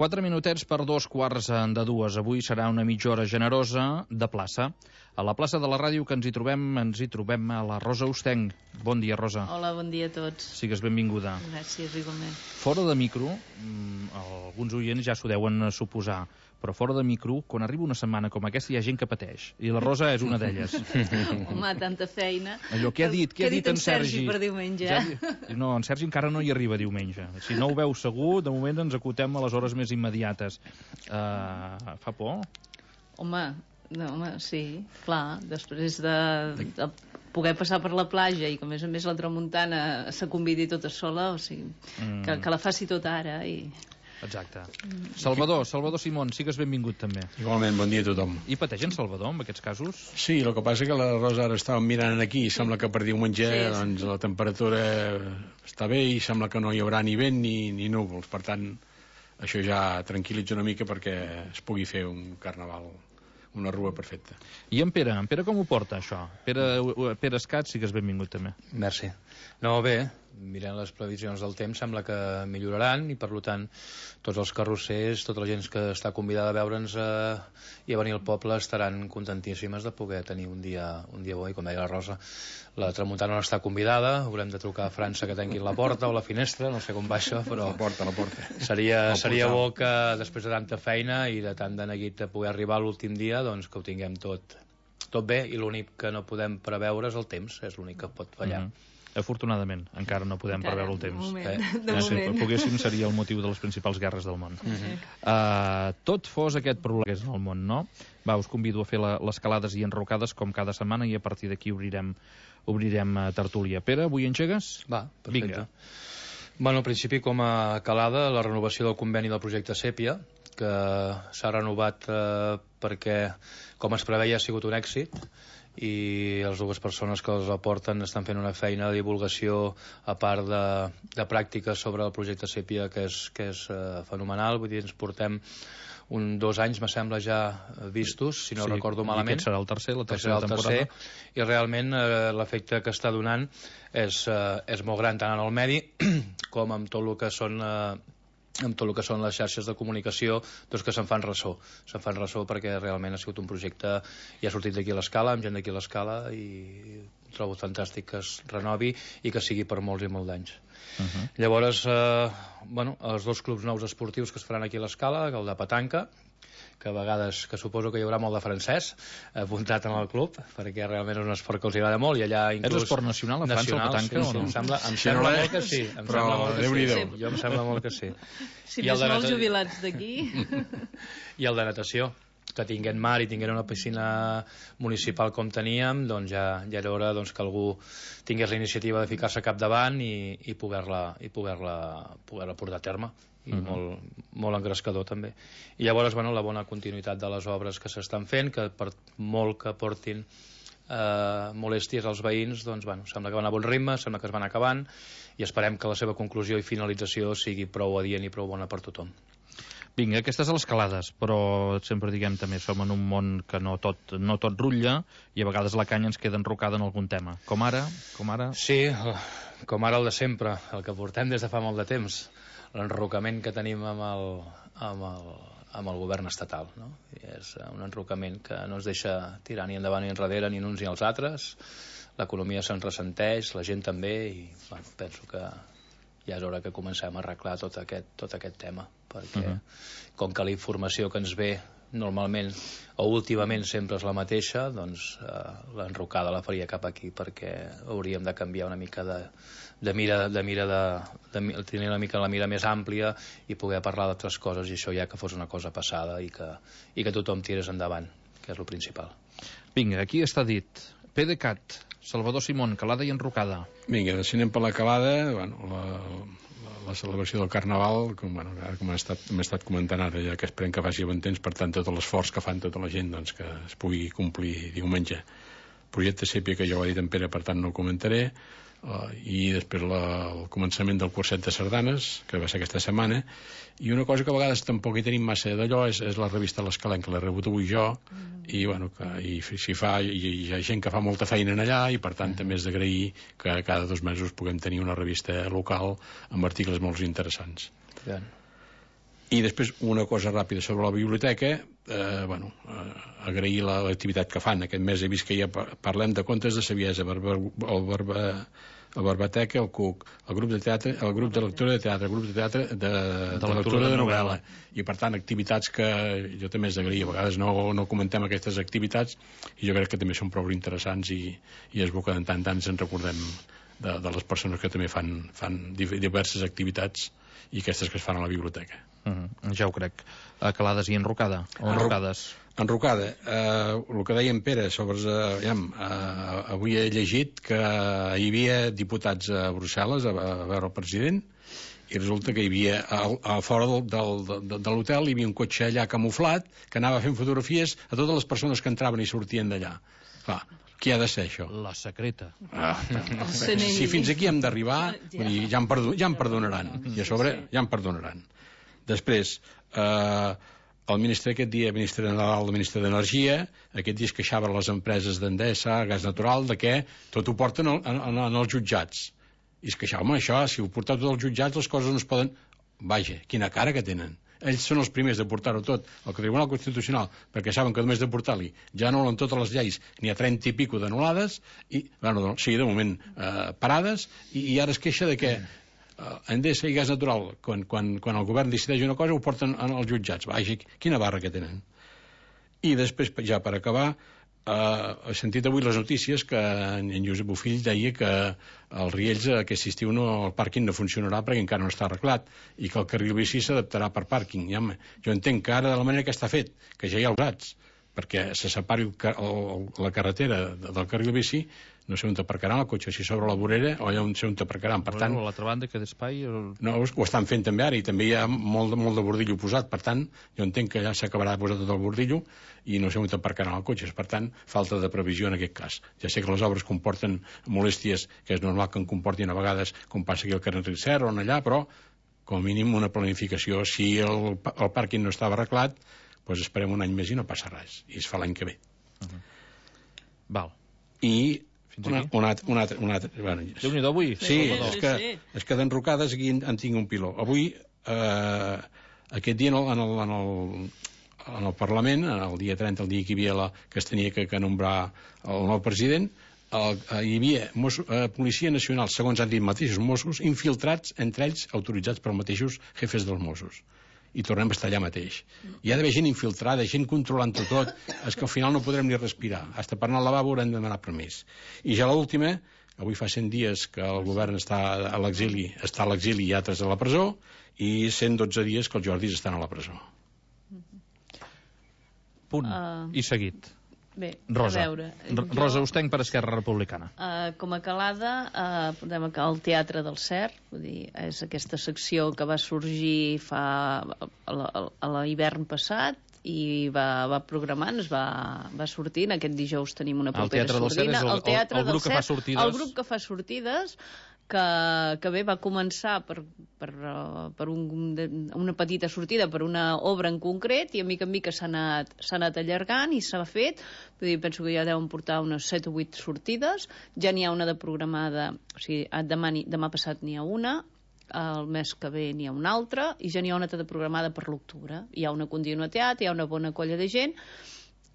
4 minutets per 2:15. Avui serà una mitja hora generosa de plaça. A la plaça de la ràdio que ens hi trobem a la Rosa Ostenc. Bon dia, Rosa. Hola, bon dia a tots. Sigues benvinguda. Gràcies, igualment. Fora de micro, alguns oients ja s'ho deuen suposar, però fora de micro, quan arriba una setmana com aquesta hi ha gent que pateix, i la Rosa és una d'elles. Home, tanta feina. Allò, què ha dit en Sergi per diumenge? No, en Sergi encara no hi arriba diumenge. Si no ho veu segur, de moment ens acotem a les hores més immediates. Fa por? Home, sí, clar, després de poder passar per la platja i que a més la tramuntana se convidi tota sola, o sigui, que la faci tota ara i... Exacte. Salvador Simón, sigues benvingut també. Igualment, bon dia a tothom. I pateix en Salvador, en aquests casos? Sí, el que passa que la Rosa ara estava mirant aquí i sembla que per diumenge doncs, la temperatura està bé i sembla que no hi haurà ni vent ni núvols, per tant això ja tranquil·litza una mica perquè es pugui fer un carnaval, una rua perfecta. I en Pere com ho porta això? Pere Escat, sigues benvingut també. Merci. No, bé, mirant les previsions del temps sembla que milloraran i per tant tots els carrossers, tota la gent que està convidada a veure'ns i a venir al poble estaran contentíssimes de poder tenir un dia bo, i com deia la Rosa, la tramuntana no està convidada, haurem de trucar a França que tanquin la porta o la finestra, no sé com va això, però la porta. Seria bo que després de tanta feina i de tant de neguit de poder arribar a l'últim dia, doncs que ho tinguem tot bé, i l'únic que no podem preveure és el temps, és l'únic que pot fallar. Afortunadament, encara no podem preveure el temps. De moment. Si poguéssim seria el motiu de les principals guerres del món. Tot fos aquest problema que és en el món, no? Va, us convido a fer les calades i enrocades com cada setmana i a partir d'aquí obrirem tertúlia. Pere, avui engegues? Va, perfecte. Vinga. Bueno, al principi com a calada, la renovació del conveni del projecte Sèpia, que s'ha renovat perquè, com es preveia, ha sigut un èxit, i les dues persones que els aporten estan fent una feina de divulgació a part de pràctica sobre el projecte Sèpia que és fenomenal. Vull dir, ens portem 2 anys, me sembla, ja vistos, si no recordo malament. I aquest serà el tercer, la tercera temporada. I realment l'efecte que està donant és molt gran, tant en el medi com amb tot el que són les xarxes de comunicació, doncs que se'n fan ressò perquè realment ha sigut un projecte i ha sortit d'aquí a l'Escala, amb gent d'aquí a l'Escala, i trobo fantàstic que es renovi i que sigui per molts i molts d'anys. Llavors, els 2 clubs nous esportius que es faran aquí a l'Escala, el de petanca, que a vegades suposo que hi haurà molt de francès apuntat en el club, perquè realment és un esport que els agrada molt, i allà inclús... És esport nacional a França, el petanca, o no? Em sembla molt que sí. Però Déu-n'hi-do. Jo em sembla molt que sí. Si més no els jubilats d'aquí. I el de natació, que tinguent mar i tinguent una piscina municipal com teníem, doncs ja era hora que algú tingués la iniciativa de ficar-se capdavant i poder-la portar a terme, i molt engrescador també. I llavors, la bona continuïtat de les obres que s'estan fent, que per molt que portin molèsties als veïns, doncs sembla que van a bon ritme, sembla que es van acabant, i esperem que la seva conclusió i finalització sigui prou adient i prou bona per tothom. Vinga, aquestes a les calades, però sempre diguem també som en un món que no tot rutlla i a vegades la canya ens queda enrocada en algun tema. Com ara? Sí, com ara el de sempre, el que portem des de fa molt de temps, l'enrocament que tenim amb el govern estatal, no? I és un enrocament que no ens deixa tirar ni endavant ni enrere ni uns ni els altres, l'economia se'n ressenteix, la gent també, i penso que ja és hora que comencem a arreglar tot aquest tema, perquè com que la informació que ens ve normalment o últimament sempre és la mateixa, doncs l'enrocada la faria cap aquí, perquè hauríem de canviar una mica de mira, tenir una mica la mira més àmplia i poder parlar d'altres coses, i això ja que fos una cosa passada i que tothom tirés endavant, que és el principal. Vinga, aquí està dit. PDeCAT, Salvador Simón, calada i enrocada. Vinga, si anem per la calada, la celebració del Carnaval, com hem estat comentant ara, ja que esperem que faci bon temps, per tant tot l'esforç que fan tota la gent que es pugui complir diumenge. Projecte Sèpia, que ja ho ha dit en Pere, per tant no ho comentaré, i després el començament del curset de sardanes, que va ser aquesta setmana, i una cosa que a vegades tampoc hi tenim massa d'allò és la revista L'Escalenc, que l'he rebut avui jo, i hi ha gent que fa molta feina en allà, i per tant també és d'agrair que cada 2 mesos puguem tenir una revista local amb articles molt interessants. I després una cosa ràpida sobre la biblioteca, agrair l'activitat que fan. Aquest mes he vist que ja parlem de contes de saviesa, el Barbateca, el CUC, el grup de teatre, el grup de lectura de teatre, el grup de teatre de lectura de novel·la. I per tant, activitats que jo també és d'agrair. A vegades no comentem aquestes activitats i jo crec que també són prou interessants i és bo que en tant ens en recordem de les persones que també fan diverses activitats i aquestes que es fan a la biblioteca. Ja ho crec. Calades i enrocada? O enrocades? Enrocada. El que deia en Pere sobre... avui he llegit que hi havia diputats a Brussel·les a veure el president i resulta que hi havia a fora de l'hotel hi havia un cotxe allà camuflat que anava fent fotografies a totes les persones que entraven i sortien d'allà. Clar, qui ha de ser això? La secreta. Si fins aquí hem d'arribar, ja em perdonaran. I a sobre ja em perdonaran. Després, el ministre aquest dia, ministre Nadal, el ministre d'Energia, aquest dia es queixava a les empreses d'Endesa, Gas Natural, de que tot ho porten als jutjats. I es queixava, home, això, si ho porteu tot als jutjats, les coses no es poden... Vaja, quina cara que tenen. Ells són els primers de portar-ho tot al Tribunal Constitucional, perquè saben que només de portar-li ja no en totes les lleis, n'hi ha 30 i pico d'anul·lades, i, sí, de moment parades, i ara es queixa de que Endesa i Gas Natural, quan el govern decideix una cosa, ho porten als jutjats. Vaja, quina barra que tenen. I després, ja per acabar, he sentit avui les notícies que en Josep Bofill deia que als Riells aquest estiu el pàrquing no funcionarà perquè encara no està arreglat i que el carril bici s'adaptarà per pàrquing. Jo entenc que ara, de la manera que està fet, que ja hi ha usats, perquè se separi la carretera del carril bici, no sé on t'aparcaran el cotxe, si sobre la vorera o allà on sé on t'aparcaran. Per tant, a l'altra banda que d'espai... No, ho estan fent també ara i també hi ha molt de bordillo posat. Per tant, jo entenc que ja s'acabarà de posar tot el bordillo i no sé on t'aparcaran el cotxe. Per tant, falta de previsió en aquest cas. Ja sé que les obres comporten molèsties, que és normal que en comportin a vegades, com passa aquí al carrer Serra o allà, però com a mínim una planificació. Si el pàrquing no estava arreglat, doncs esperem un any més i no passa res. I es fa l'any que ve. Val. I un altre. Bueno, Déu-n'hi-do avui. Sí, és que d'enrocades aquí en tinc un piló. Avui, aquest dia en el Parlament, el dia 30, el dia que hi havia que es tenia que nombrar el nou president, hi havia Policia Nacional, segons han dit mateixos Mossos, infiltrats, entre ells autoritzats per mateixos jefes dels Mossos. I tornem a estar allà mateix. Hi ha d'haver gent infiltrada, gent controlant-ho tot, és que al final no podrem ni respirar. Hasta per anar al lavabo haurem de demanar permís. I ja l'última, avui fa 100 dies que el govern està a l'exili i altres a la presó, i 112 dies que els Jordis estan a la presó. Punt. I seguit. Bé, Rosa. A veure... Rosa Ostenc per Esquerra Republicana. Com a calada, portem al Teatre del Cert, vull dir, és aquesta secció que va sorgir a l'hivern passat i va programant, va sortint. Aquest dijous tenim una propera sordina. El Teatre del Cert és el grup que fa sortides. El grup que fa sortides, que bé, va començar per una petita sortida per una obra en concret i a mica en mica s'ha anat allargant i s'ha fet. Vull dir, penso que ja deuen portar unes 7 o 8 sortides. Ja n'hi ha una de programada, o sigui, demà passat n'hi ha una, el mes que ve n'hi ha una altra i ja n'hi ha una altra programada per l'octubre. Hi ha una continuïtat, hi ha una bona colla de gent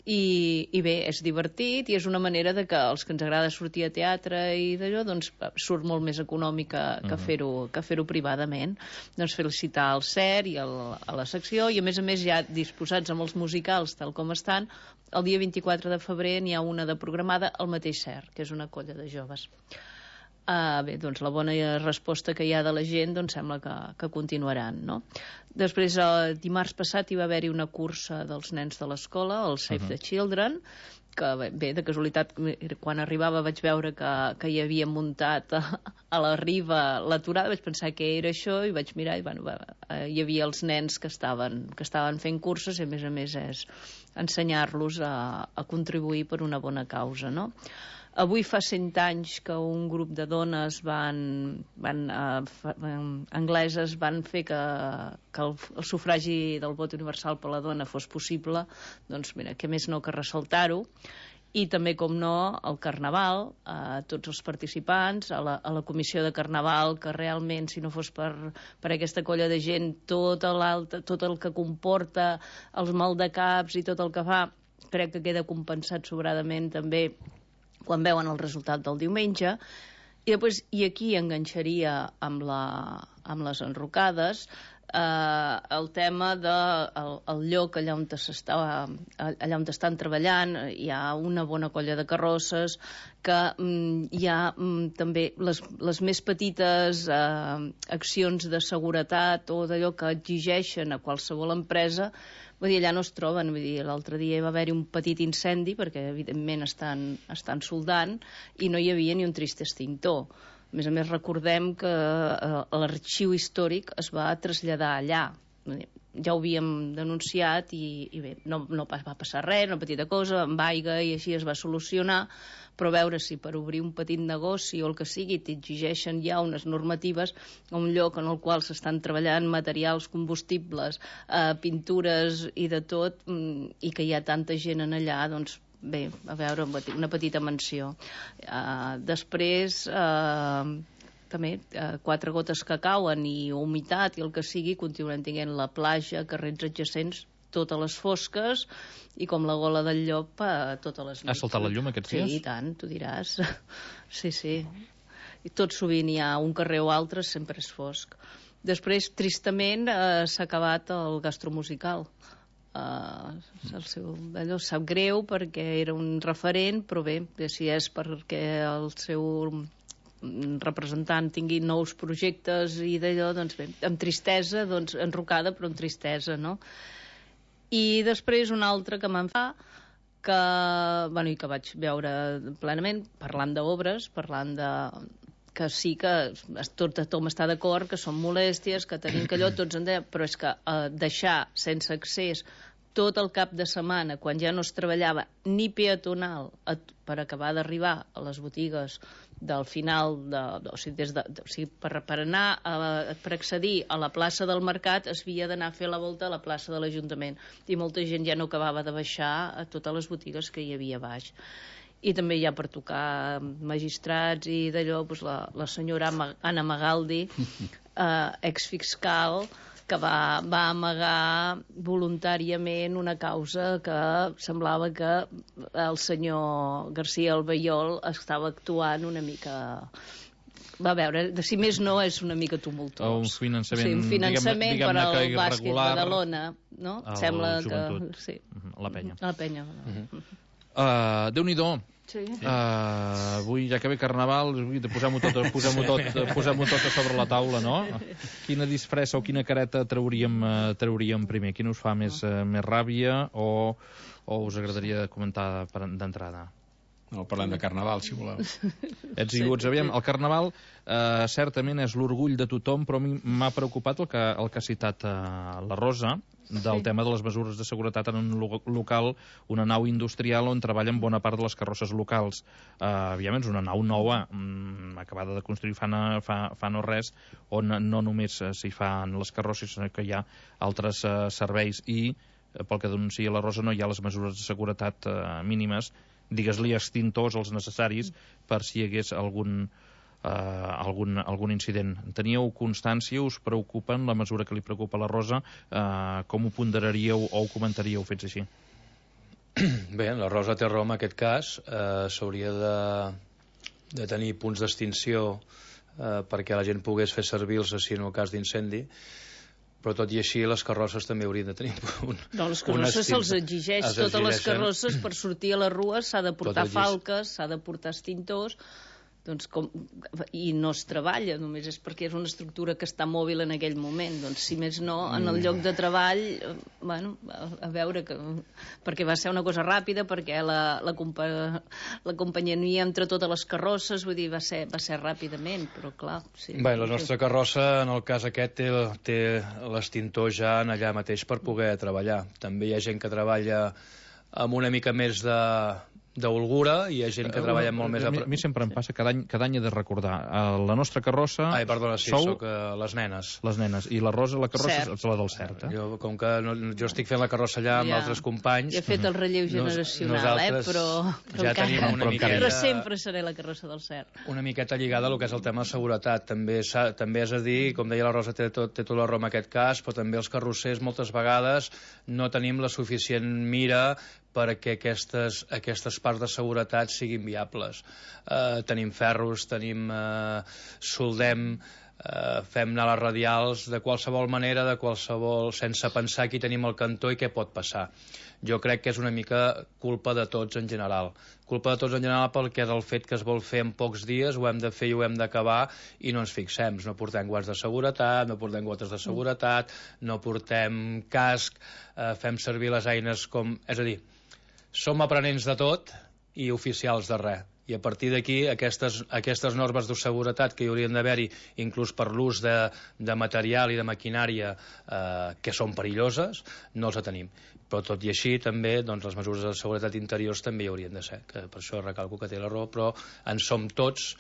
i bé, és divertit i és una manera de que els que ens agrada sortir a teatre i d'allò, doncs surt molt més econòmica que fer-ho privadament. Doncs felicitar el CERT i a la secció i a més ja disposats amb els musicals tal com estan, el dia 24 de febrer n'hi ha una de programada al mateix CERT, que és una colla de joves. Bé, doncs la bona resposta que hi ha de la gent doncs sembla que continuaran, no? Després, dimarts passat hi va haver-hi una cursa dels nens de l'escola, el Save the Children, que bé, de casualitat, quan arribava vaig veure que hi havia muntat a la riba l'aturada, vaig pensar que era això i vaig mirar i hi havia els nens que estaven fent curses i a més és ensenyar-los a contribuir per una bona causa, no? Avui fa 100 anys que un grup de dones angleses van fer que el sufragi del vot universal per la dona fos possible, doncs mira, què més no que ressaltar-ho. I també, com no, el Carnaval, a tots els participants, a la comissió de Carnaval, que realment, si no fos per aquesta colla de gent, tot el que comporta, els maldecaps i tot el que fa, crec que queda compensat sobradament també quan veuen el resultat del diumenge. I aquí enganxaria amb les enrocades, el tema del lloc allà on estan treballant. Hi ha una bona colla de carrosses, que hi ha també les més petites accions de seguretat o d'allò que exigeixen a qualsevol empresa, vull dir, allà no es troben. Vull dir, l'altre dia va haver-hi un petit incendi, perquè evidentment estan soldant, i no hi havia ni un trist extintor. A més, recordem que l'arxiu històric es va traslladar allà. Ja ho havíem denunciat i bé, no va passar res, una petita cosa, amb aigua, i així es va solucionar, però veure si per obrir un petit negoci o el que sigui t'exigeixen ja unes normatives a un lloc en el qual s'estan treballant materials combustibles, pintures i de tot, i que hi ha tanta gent en allà, doncs bé, a veure, una petita menció. Després, també, 4 gotes que cauen i humitat i el que sigui, continuem tinguent la platja, carrers adjacents, totes les fosques, i com la gola del llop totes les nits. Has saltat la llum aquests dies? Sí, i tant, tu diràs. Sí. I tot sovint hi ha un carrer o altre, sempre és fosc. Després, tristament, s'ha acabat el gastromusical. Allò sap greu perquè era un referent, però bé, si és perquè el seu representant tingui nous projectes i d'allò, doncs bé, amb tristesa, doncs enrocada, però amb tristesa, no? I després un altre que me'n fa, i que vaig veure plenament, parlant d'obres, parlant de que sí que tothom està d'acord, que són molèsties, que tenim que allò, tots en deia, però és que deixar sense accés tot el cap de setmana, quan ja no es treballava ni peatonal, per acabar d'arribar a les botigues del final, per anar, per accedir a la plaça del Mercat, es havia d'anar a fer la volta a la plaça de l'Ajuntament, i molta gent ja no acabava de baixar a totes les botigues que hi havia a baix. I també hi ha per tocar magistrats i d'allò, doncs la senyora Anna Magaldi, exfiscal, que va amagar voluntàriament una causa que semblava que el senyor García Albiol estava actuant una mica... Va veure, si més no, és una mica tumultuós. Un finançament, sí, un finançament diguem-ne per al que bàsquet irregular, Badalona, no? Sembla joventut. que... Sí. La penya. La penya. Déu-n'hi-do. Sí. Avui, ja que ve Carnaval, posem-ho tot a sobre la taula, no? Quina disfressa o quina careta trauríem primer? Quina us fa més ràbia o us agradaria comentar d'entrada? No, parlem de Carnaval, si voleu. Ets i uts. Aviam, el Carnaval certament és l'orgull de tothom, però a mi m'ha preocupat el que ha citat la Rosa, del tema de les mesures de seguretat en un local, una nau industrial on treballen bona part de les carrosses locals. Aviam, és una nau nova, acabada de construir fa no res, on no només s'hi fan les carrosses, sinó que hi ha altres serveis, i pel que denuncia la Rosa no hi ha les mesures de seguretat mínimes, digues-li extintors, els necessaris, per si hi hagués algun incident. Teníeu constància? Us preocupen la mesura que li preocupa a la Rosa? Com ho ponderaríeu o ho comentaríeu fets així? Bé, la Rosa té raó en aquest cas. S'hauria de tenir punts d'extinció perquè la gent pogués fer servir-los si en el cas d'incendi, però tot i així les carrosses també haurien de tenir no, les carrosses se'ls exigeix, totes les carrosses per sortir a les rues s'ha de portar falques, s'ha de portar extintors, doncs i no es treballa, només és perquè és una estructura que està mòbil en aquell moment. Doncs si més no, en el lloc de treball, bueno, a veure, perquè va ser una cosa ràpida, perquè la companyia entre totes les carrosses, vull dir, va ser ràpidament, però clar... Sí. Bé, la nostra carrossa, en el cas aquest, té l'extintor ja allà mateix per poder treballar. També hi ha gent que treballa amb una mica més d'holgura, i hi ha gent que treballa molt més... A mi sempre em passa, cada any he de recordar la nostra carrossa... Ai, perdona, sí, sóc les nenes. Les nenes. I la Rosa, la carrossa, és la del Cert. Com que jo estic fent la carrossa allà amb altres companys... Ja he fet el relleu generacional, però ja tenim una miqueta... Però sempre seré la carrossa del Cert. Una miqueta lligada al que és el tema de seguretat. També és a dir, com deia la Rosa, té tota la raó en aquest cas, però també els carrossers moltes vegades no tenim la suficient mira perquè aquestes parts de seguretat siguin viables. Tenim ferros, soldem, fem anar les radials de qualsevol manera, sense pensar qui tenim al cantó i què pot passar. Jo crec que és una mica culpa de tots en general. Culpa de tots en general perquè és el fet que es vol fer en pocs dies, ho hem de fer i ho hem d'acabar, i no ens fixem. No portem guants de seguretat, no portem gotes de seguretat, no portem casc, fem servir les eines com... És a dir, som aprenents de tot i oficials de res. I a partir d'aquí, aquestes normes de seguretat que hi haurien d'haver-hi, inclús per l'ús de material i de maquinària que són perilloses, no els tenim. Però tot i així, també, doncs, les mesures de seguretat interiors també hi haurien de ser. Que per això recalco que té la raó, però en som tots,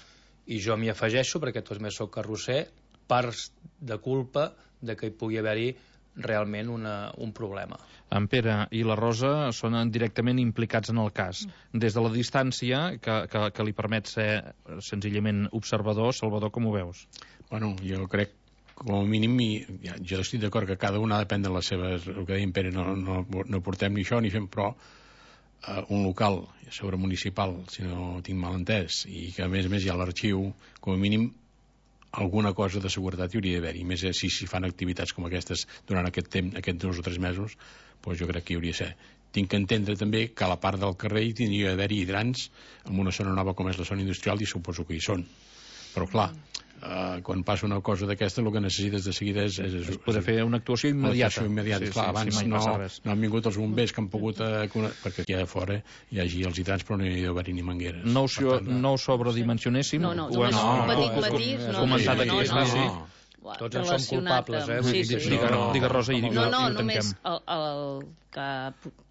i jo m'hi afegeixo, perquè també soc carrosser, parts de culpa de que hi pugui haver-hi realment un problema. En Pere i la Rosa són directament implicats en el cas. Des de la distància, que li permet ser senzillament observador, Salvador, com ho veus? Bueno, jo crec, com a mínim, jo estic d'acord que cada una ha de prendre les seves... El que deia en Pere, no portem ni això ni fem, però un local, sobre municipal, si no tinc mal entès, i que a més hi ha l'arxiu, com a mínim alguna cosa de seguretat hi hauria d'haver-hi. Més si fan activitats com aquestes durant aquest temps, aquests 2 o 3 mesos, doncs jo crec que hi hauria de ser. Tinc que entendre també que a la part del carrer hi tindria d'haver-hi hidrants en una zona nova com és la zona industrial, i suposo que hi són. Però clar, quan passa una cosa d'aquesta, el que necessites de seguida és poder fer una actuació immediata. Sí, clar, abans no han vingut els bombers que han pogut... perquè aquí a fora hi hagi els hidrants, però no hi ha d'haver ni mangueres. No ho sobredimensionéssim. No, un petit matís. Tots en som culpables, Digue, Rosa, i no, només el que...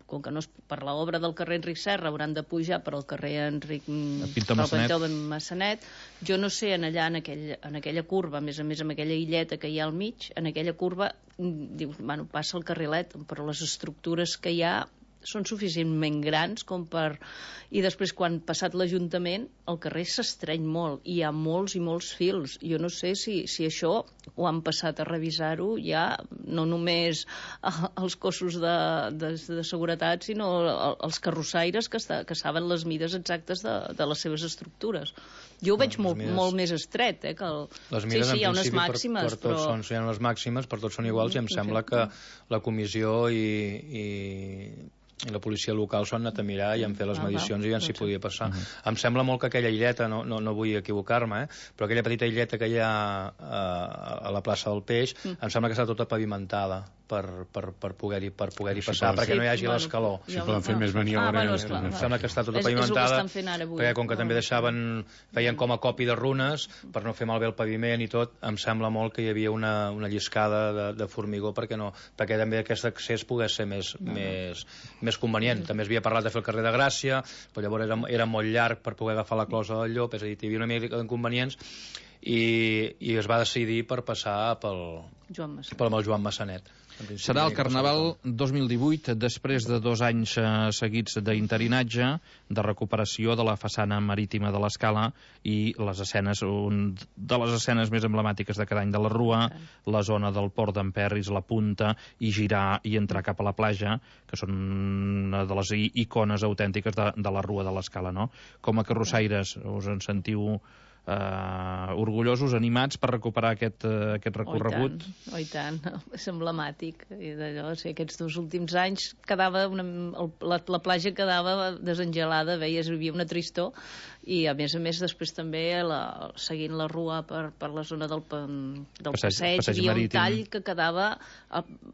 Com que no és per l'obra del carrer Enric Serra, hauran de pujar per al carrer Enric Massanet. Jo no sé, en aquella curva, a més amb aquella illeta que hi ha al mig, en aquella curva, dius, bueno, passa el carrilet, però les estructures que hi ha són suficientment grans com per... I després, quan passat l'Ajuntament, el carrer s'estreny molt, i hi ha molts i molts fils. Jo no sé si això ho han passat a revisar-ho ja, no només els cossos de seguretat, sinó els carrossaires que saben les mides exactes de les seves estructures. Jo ho veig molt més estret, que les mides, hi ha unes màximes, per tots són les màximes, per tots són iguals, i em sembla que la comissió i la policia local s'ho han anat a mirar i han fet les medicions i ja s'hi podia passar. Em sembla molt que aquella illeta, no vull equivocar-me, però aquella petita illeta que hi ha a la plaça del Peix, em sembla que està tota pavimentada per poder-hi passar, perquè no hi hagi l'escaló. Si poden fer més maniobra... Em sembla que està tota pavimentada, perquè com que també feien com a copi de runes per no fer malbé el paviment i tot, em sembla molt que hi havia una lliscada de formigó perquè també aquest accés pogués ser més convenient. També es havia parlat de fer el carrer de Gràcia, però llavors era molt llarg per poder agafar la closa del Llop, és a dir, hi havia una mica d'inconvenients, i es va decidir per passar pel Joan Massanet. Serà el Carnaval 2018, després de 2 anys seguits d'interinatge, de recuperació de la façana marítima de l'Escala i les escenes, de les escenes més emblemàtiques de cada any de la Rua, la zona del Port d'en Perris, la Punta, i girar i entrar cap a la platja, que són una de les icones autèntiques de la Rua de l'Escala, no? Com a carrossaires, us en sentiu orgullosos, animats per recuperar aquest recorregut? Oh, i tant, és emblemàtic. Aquests 2 últims anys la platja quedava desengelada, veies, hi havia una tristor, i a més després també seguint la Rua per la zona del passeig, hi havia un tall que quedava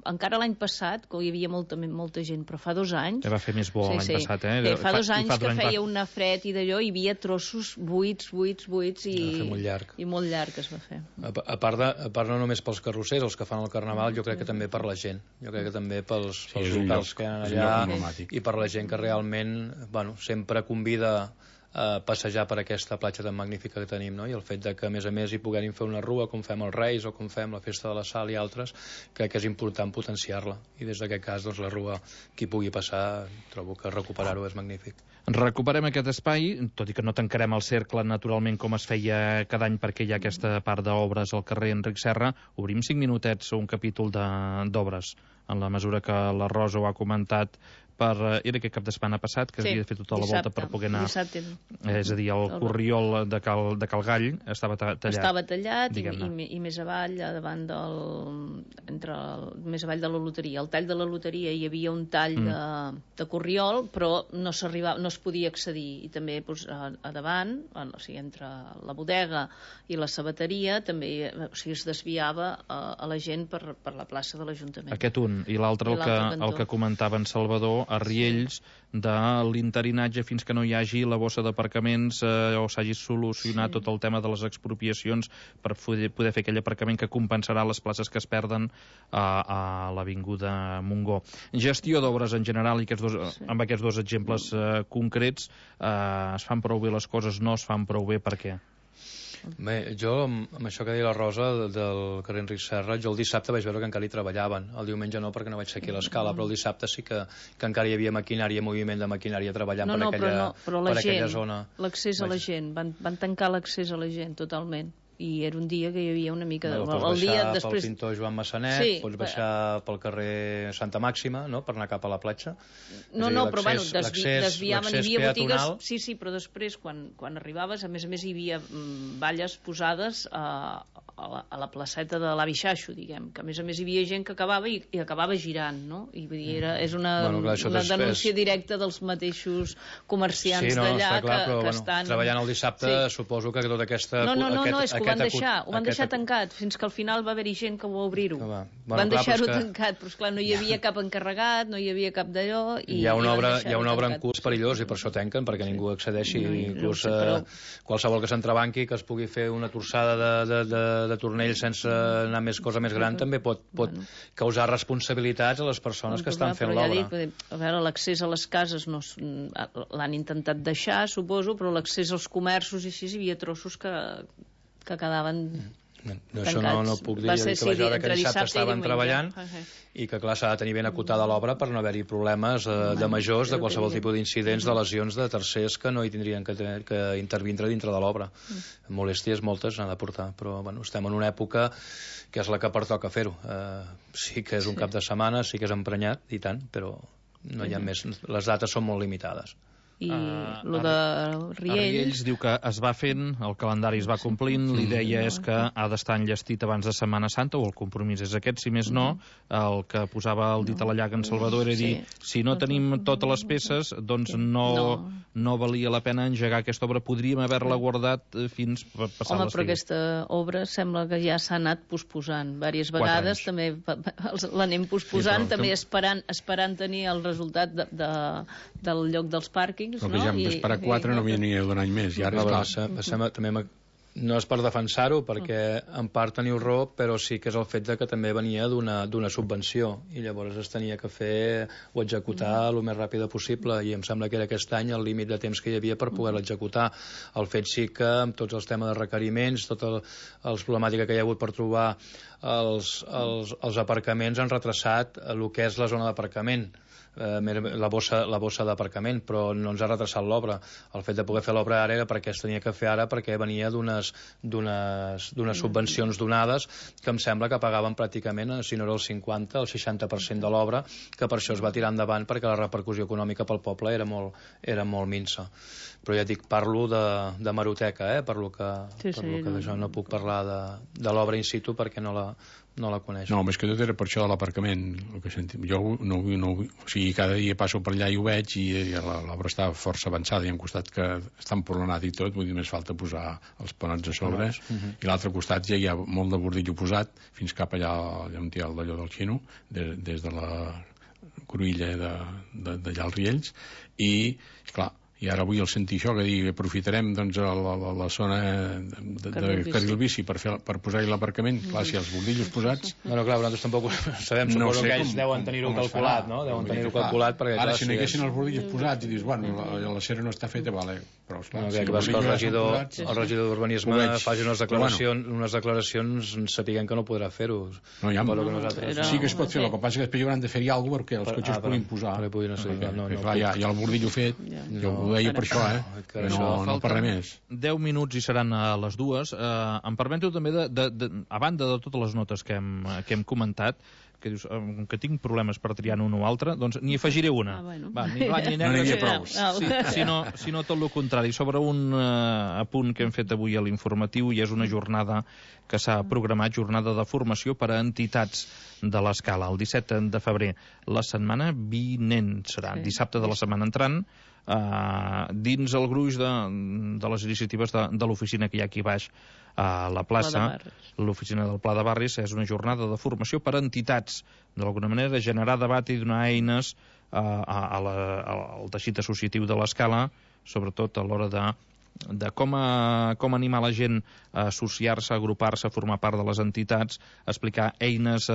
encara l'any passat, que hi havia molta gent, però fa 2 anys va fer més bo l'any passat, fa 2 anys que feia una fred i d'allò, hi havia trossos buits petits i molt llarg es va fer. A part no només pels carrossers, els que fan el carnaval, jo crec que també per la gent. Jo crec que també pels locals que hi ha allà i per la gent que realment sempre convida a passejar per aquesta platja tan magnífica que tenim, no? I el fet de que a més hi puguem fer una rua com fem els Reis o com fem la Festa de la Sal i altres, crec que és important potenciar-la, i des d'aquest cas la rua, qui pugui passar, trobo que recuperar-ho és magnífic. Recuperem aquest espai, tot i que no tancarem el cercle naturalment com es feia cada any perquè hi ha aquesta part d'obres al carrer Enric Serra. Obrim 5 minutets a un capítol d'obres, en la mesura que la Rosa ho ha comentat. Era aquest cap de setmana passat que havia de fer tota la volta per poder anar. És a dir, el corriol de Cal Gall estava tallat. Estava tallat i més avall, més avall de la loteria. Al tall de la loteria hi havia un tall de corriol, però no es podia accedir. I també a davant, o sigui, entre la bodega i la sabateria, també es desviava a la gent per la plaça de l'Ajuntament. Aquest un. I l'altre, el que comentava en Salvador, a Riells, de l'interinatge fins que no hi hagi la bossa d'aparcaments o s'hagi solucionat tot el tema de les expropiacions per poder fer aquell aparcament que compensarà les places que es perden a l'Avinguda Montgó. Gestió d'obres en general, i amb aquests dos exemples concrets, es fan prou bé les coses, no es fan prou bé, per què? Bé, jo, amb això que deia la Rosa del carrer Enric Serra, jo el dissabte vaig veure que encara hi treballaven. El diumenge no, perquè no vaig ser aquí a l'escala, però el dissabte sí que encara hi havia maquinària, moviment de maquinària treballant per aquella zona. L'accés a la gent, van tancar l'accés a la gent totalment. I era un dia que hi havia una mica... Pots baixar pel pintor Joan Massanet, pots baixar pel carrer Santa Màxima, per anar cap a la platja. No, però bueno, desviaven, hi havia botigues... Sí, però després, quan arribaves, a més hi havia valles posades a la placeta de l'Avi Xaixo, diguem, que a més hi havia gent que acabava i acabava girant, no? I vull dir, és una denúncia directa dels mateixos comerciants d'allà que estan... Treballant el dissabte, suposo que tota aquesta... No, és que ho van deixar tancat, fins que al final va haver-hi gent que ho va obrir-ho. Van deixar-ho tancat, però esclar, no hi havia cap encarregat, no hi havia cap d'allò... Hi ha una obra en curs perillós i per això tanquen, perquè ningú accedeixi, inclús qualsevol que s'entrebanqui, que es pugui fer una torçada de tornell sense anar cosa més gran, també pot causar responsabilitats a les persones que estan fent l'obra. A veure, l'accés a les cases l'han intentat deixar, suposo, però l'accés als comerços i així hi havia trossos que quedaven tancats. Això no puc dir, que vaig veure que dissabte estaven treballant i que clar, s'ha de tenir ben acotada l'obra per no haver-hi problemes de majors, de qualsevol tipus d'incidents, de lesions de tercers que no hi tindrien que intervindre dintre de l'obra. Molèsties moltes n'ha de portar, però estem en una època que és la que pertoca fer-ho. Sí que és un cap de setmana, sí que és emprenyat i tant, però no hi ha més, les dates són molt limitades. I el de Riells diu que es va fent, el calendari es va complint, l'idea és que ha d'estar enllestit abans de Setmana Santa, o el compromís és aquest, si més no, el que posava el dit a la llaga en Salvador era dir, si no tenim totes les peces, doncs no valia la pena engegar aquesta obra, podríem haver-la guardat fins per passar l'estiu. Però aquesta obra sembla que ja s'ha anat posposant diverses vegades, també l'anem posposant, també esperant tenir el resultat del lloc dels pàrquings. Però que ja hem d'esperar 4, no havia ni d'un any més. I ara també no és per defensar-ho, perquè en part teniu raó, però sí que és el fet que també venia d'una subvenció i llavors es tenia que fer o executar el més ràpid possible, i em sembla que era aquest any el límit de temps que hi havia per poder-lo executar. El fet sí que amb tots els temes de requeriments, tota la problemàtica que hi ha hagut per trobar els aparcaments, han retrasat el que és la zona d'aparcament, la bossa d'aparcament, però no ens ha retrasat l'obra. El fet de poder fer l'obra ara era perquè es tenia que fer ara, perquè venia d'unes subvencions donades que em sembla que pagaven pràcticament, si no era el 50, el 60% de l'obra, que per això es va tirar endavant, perquè la repercussió econòmica pel poble era molt minsa. Però ja dic, parlo de hemeroteca, per lo que d'això no puc parlar de l'obra in situ perquè no la coneixo. No, més que tot era per això de l'aparcament, el que sentim. Jo o sigui, cada dia passo per allà i ho veig, i l'obra està força avançada, i ha un costat que està empolonat i tot, vull dir, més falta posar els panots a sobre, i l'altre costat ja hi ha molt de bordillo posat, fins cap allà on hi ha d'allò del Xino, des de la cruïlla d'allà als Riells, i clar, i ara avui el sentir això, que digui aprofitarem doncs la zona de carril bici per posar-hi l'aparcament, clar, si els bordillos posats... Bueno, clar, nosaltres tampoc sabem, suposo que ells deuen tenir-ho calculat, no? Deuen tenir-ho calculat perquè... Ara, si no haguessin els bordillos posats i dius, bueno, la cera no està feta, vale, però esclar... Que el regidor d'Urbanisme faci unes declaracions sapiguem que no podrà fer-ho. No, ja, sí que es pot fer, el que passa que després hi hauran de fer-hi alguna cosa perquè els cotxes puguin posar. Clar, hi ha el bordillo fet, jo ho deia per això, no per res més. 10 minuts i seran a les 2. Em permeto també, a banda de totes les notes que hem comentat, que dius que tinc problemes per triar un o altre, doncs n'hi afegiré una. Ni blanc ni negre, sinó tot el contrari. Sobre un apunt que hem fet avui a l'informatiu, i és una jornada que s'ha programat, jornada de formació per a entitats de l'Escala, el 17 de febrer. La setmana vinent serà, dissabte de la setmana entrant, dins el gruix de les iniciatives de l'oficina que hi ha aquí baix a la plaça, l'oficina del Pla de Barris. És una jornada de formació per a entitats, d'alguna manera generar debat i donar eines al teixit associatiu de l'Escala, sobretot a l'hora de com animar la gent a associar-se, a agrupar-se, a formar part de les entitats, a explicar eines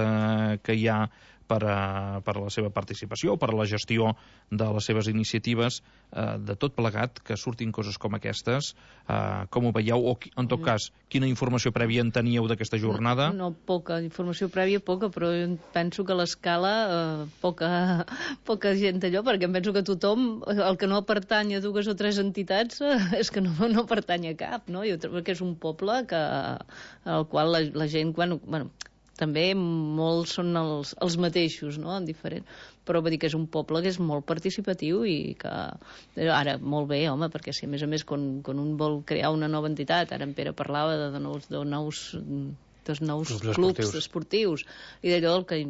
que hi ha per a la seva participació, per a la gestió de les seves iniciatives, de tot plegat, que surtin coses com aquestes. Com ho veieu? O, en tot cas, quina informació prèvia en teníeu d'aquesta jornada? No, poca informació prèvia, poca, però jo penso que a l'Escala poca gent allò, perquè em penso que tothom, el que no pertany a 2 o 3 entitats, és que no pertany a cap, no? Jo trobo que és un poble al qual la gent, bueno, també molts són els mateixos, no? Diferent. Però vull dir que és un poble que és molt participatiu i que ara molt bé, home, perquè si a més quan un vol crear una nova entitat, ara en Pere parlava de nous clubs esportius i d'allò el que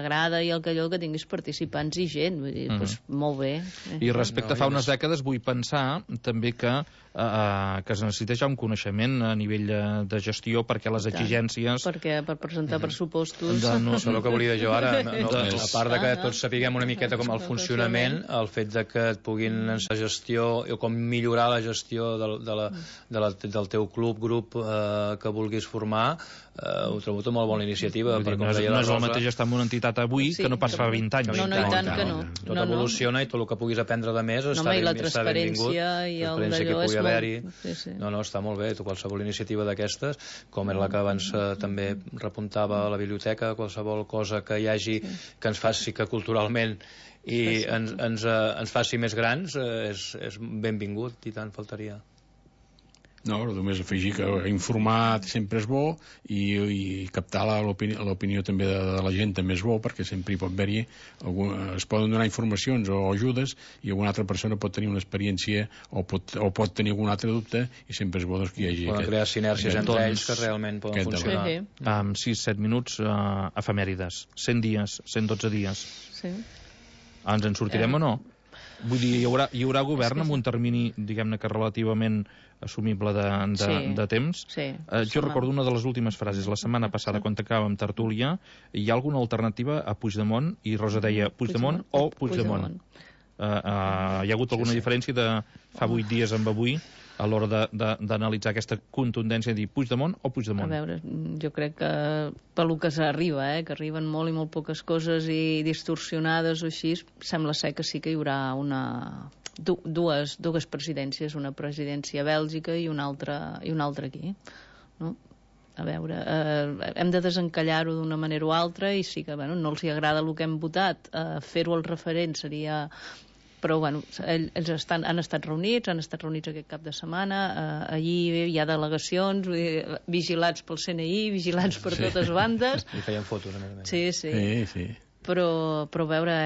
agrada i el que tinguis participants i gent, vull dir, doncs molt bé. I respecte a fa unes dècades vull pensar també que es necessita ja un coneixement a nivell de gestió, perquè les exigències... Perquè per presentar pressupostos... Això és el que volia jo ara. A part de que tots sapiguem una miqueta com el funcionament, el fet de que et puguin ensenyar gestió o com millorar la gestió del teu grup que vulguis formar, ho trobo tot molt bona iniciativa. No és el mateix estar en una entitat avui que no pas fa 20 anys. No, i tant que no. Tot evoluciona i tot el que puguis aprendre de més està benvingut. I la transparència i el d'allò és molt... No, està molt bé. Qualsevol iniciativa d'aquestes, com era la que abans també repuntava a la biblioteca, qualsevol cosa que hi hagi que ens faci que culturalment i ens faci més grans, és benvingut, i tant faltaria. No, només afegir que informar sempre és bo i captar l'opinió també de la gent també és bo, perquè sempre hi pot haver-hi es poden donar informacions o ajudes i alguna altra persona pot tenir una experiència o pot tenir algun altre dubte, i sempre és bo que hi hagi poden crear sinèrgies entre ells que realment poden funcionar. Amb 6-7 minuts, efemèrides, 100 dies, 112 dies. Ens en sortirem o no? Vull dir, hi haurà govern amb un termini, diguem-ne que relativament assumible de temps. Jo recordo una de les últimes frases la setmana passada, quan acabàvem tertúlia: hi ha alguna alternativa a Puigdemont? I Rosa deia Puigdemont o Puigdemont. Hi ha hagut alguna diferència de fa 8 dies amb avui a l'hora d'analitzar aquesta contundència de dir Puigdemont o Puigdemont? A veure, jo crec que pel que s'arriba, que arriben molt i molt poques coses i distorsionades o així, sembla ser que sí que hi haurà dues presidències, una presidència a Bèlgica i una altra aquí, no? A veure, hem de desencallar-ho d'una manera o altra, i sí que no els hi agrada el que hem votat, fer-ho al referent seria... Però, ells han estat reunits aquest cap de setmana, allí hi ha delegacions, vigilats pel CNI, vigilats per totes bandes. I feien fotos, a més. Sí. Però a veure,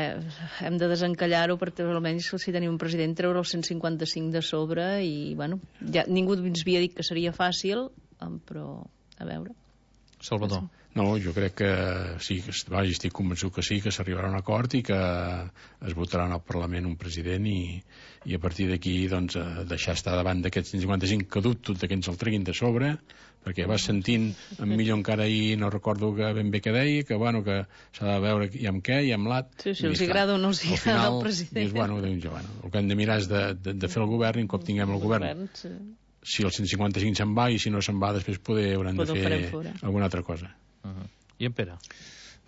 hem de desencallar-ho perquè almenys si tenim un president treure el 155 de sobre i, ja ningú ens havia dit que seria fàcil, però a veure. Salvador. No, jo crec que sí, estic convençut que sí, que s'arribarà a un acord i que es votarà en el Parlament un president i a partir d'aquí doncs, deixar estar davant d'aquests 155 que dubto que ens el treguin de sobre, perquè vas sentint en Millo encara ahir, no recordo ben bé què deia, que bueno, que s'ha de veure i amb què i amb l'at. Sí, els agrada o no els agrada el president. Dius, bueno, el que hem de mirar és de fer el govern i un cop tinguem el govern. Si el 155 se'n va i si no se'n va després haurem de fer alguna altra cosa. I en Pere?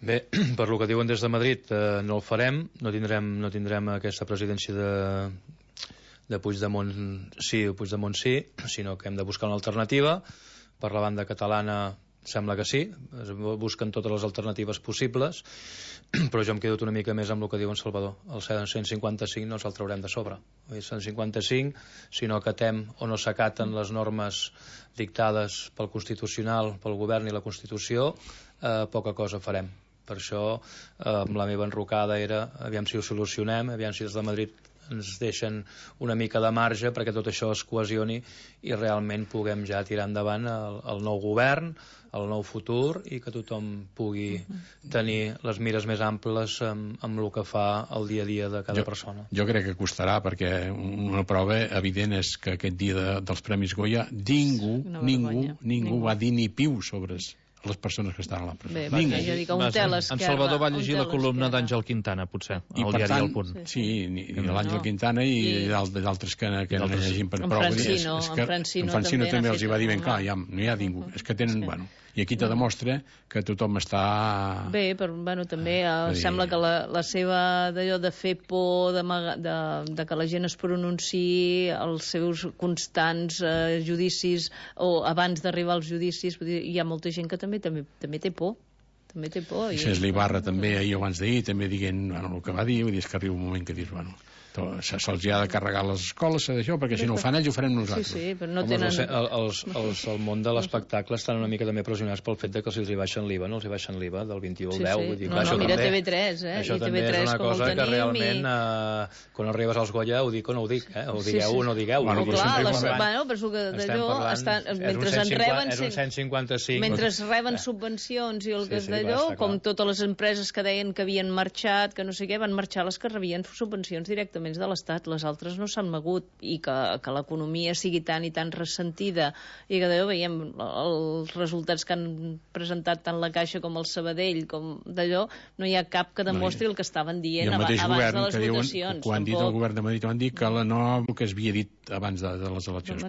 Bé, per lo que diuen des de Madrid no el farem, no tindrem aquesta presidència de Puigdemont sí o Puigdemont sí, sinó que hem de buscar una alternativa. Per la banda catalana sembla que sí, es busquen totes les alternatives possibles, però jo em quedo una mica més amb el que diu en Salvador. El 155 no ens el traurem de sobre. El 155, si no acatem o no s'acaten les normes dictades pel Constitucional, pel Govern i la Constitució, poca cosa farem. Per això la meva enrocada era aviam si ho solucionem, aviam si des de Madrid ens deixen una mica de marge perquè tot això es cohesioni i realment puguem ja tirar endavant el nou govern, el nou futur i que tothom pugui tenir les mires més amples amb el que fa el dia a dia de cada persona. Jo crec que costarà perquè una prova evident és que aquest dia dels Premis Goya ningú va dir ni piu sobre les persones que estaven a la presó. En Salvador va llegir la columna d'Àngel Quintana, potser, al diari El Punt. Sí, i l'Àngel Quintana i d'altres que no llegim per prou. En Francino també els hi va dir ben clar, no hi ha ningú. És que tenen, bueno... I aquí te demostra que tothom està... Bé, però bueno, també sembla que la seva d'allò de fer por, de que la gent es pronunciï, els seus constants judicis, o abans d'arribar als judicis, hi ha molta gent que també té por. També té por. Això és l'Ibarra també, ahir abans d'ahir, també dient el que va dir, vull dir, és que arriba un moment que dius, bueno... se'ls ha de carregar les escoles d'això, perquè si no ho fan ells ho farem nosaltres. Sí, però no tenen... El món de l'espectacle estan una mica també pressionats pel fet que si els hi baixen l'IVA, no els hi baixen l'IVA del 21 al 10. Vull dir, no, mira TV3, això també és una cosa que realment quan arribes als Goya ho dic o no ho dic, ho digueu o no digueu. Bueno, però que d'allò mentre en reben... És un 155. Mentre reben subvencions i el que és d'allò, com totes les empreses que deien que havien marxat, que no sé què, van marxar les que rebien subvencions directament de l'Estat, les altres no s'han mogut i que l'economia sigui tan i tan ressentida i que d'allò veiem els resultats que han presentat tant la Caixa com el Sabadell com d'allò, no hi ha cap que demostri el que estaven dient abans de les votacions. Quan han dit el govern de Madrid van dir que el que es havia dit abans de les eleccions.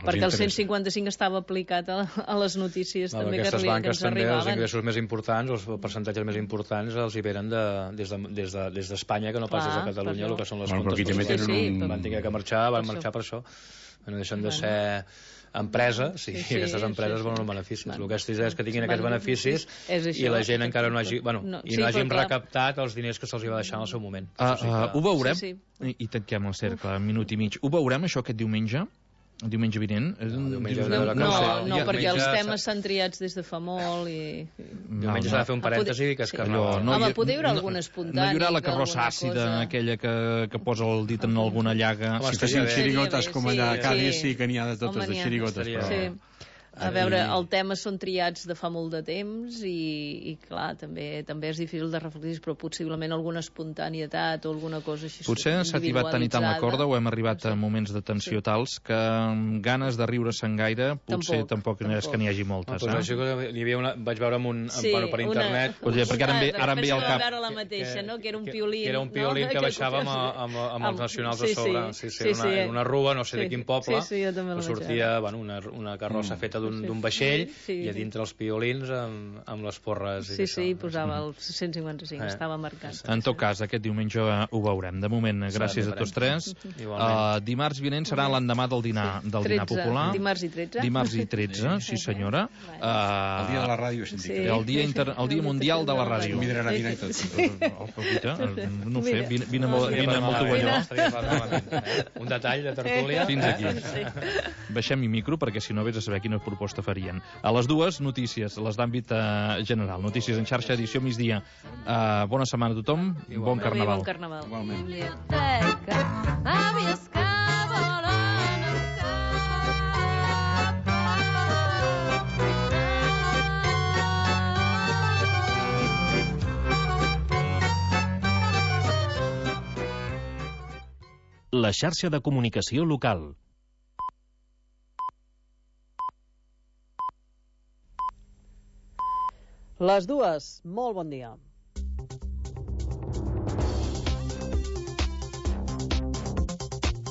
Perquè el 155 estava aplicat a les notícies també que ens arribaven. Aquestes banques també, els ingressos més importants, els percentatges més importants els hi venen des d'Espanya, que no pas des de Catalunya, el que són les comptes. Van haver que marxar, van marxar per això. No deixen de ser empresa, i aquestes empreses volen els beneficis. El que estic és que tinguin aquests beneficis i la gent encara no hagin recaptat els diners que se'ls va deixar en el seu moment. Ho veurem, i tanquem el cercle, minut i mig. Ho veurem, això, aquest diumenge? El diumenge vinent? No, perquè els temes s'han triats des de fa molt i... Diumenge s'ha de fer un parèntesi que és Carnaval. Home, poder hi haurà alguna espontània. No hi haurà la carrossa àcida, aquella que posa el dit en alguna llaga. Si fessin xirigotes com allà a Cádiz, sí que n'hi ha de totes de xirigotes. A veure, el tema són triats de fa molt de temps i clar, també és difícil de reflectir, però possiblement alguna espontanietat o alguna cosa així potser s'ha tibat tant i tant la corda o hem arribat a moments de tensió tals que amb ganes de riure-se'n gaire potser tampoc és que n'hi hagi moltes. Vaig veure per internet... Perquè ara em ve al cap... Que era un piolín. Que era un piolín que baixava amb els nacionals a sobre. Era una rua, no sé de quin poble, que sortia una carrossa feta d'un vaixell i a dintre els piolins amb les porres. Sí, posava el 155, estava marcat. En tot cas, aquest diumenge ho veurem. De moment, gràcies a tots tres. Dimarts vinent serà l'endemà del dinar popular. Dimarts i 13. Dimarts i 13, sí senyora. El dia de la ràdio, el dia mundial de la ràdio. No sé, vine amb el tovalló. Un detall de tertúlia. Fins aquí. Baixem-hi micro perquè si no vés a saber quina proposta farien. A les dues, notícies, les d'àmbit general. Notícies en xarxa, edició migdia. Bona setmana a tothom, bon Carnaval. Bon Carnaval. Igualment. la xarxa de comunicació local. Les dues, molt bon dia.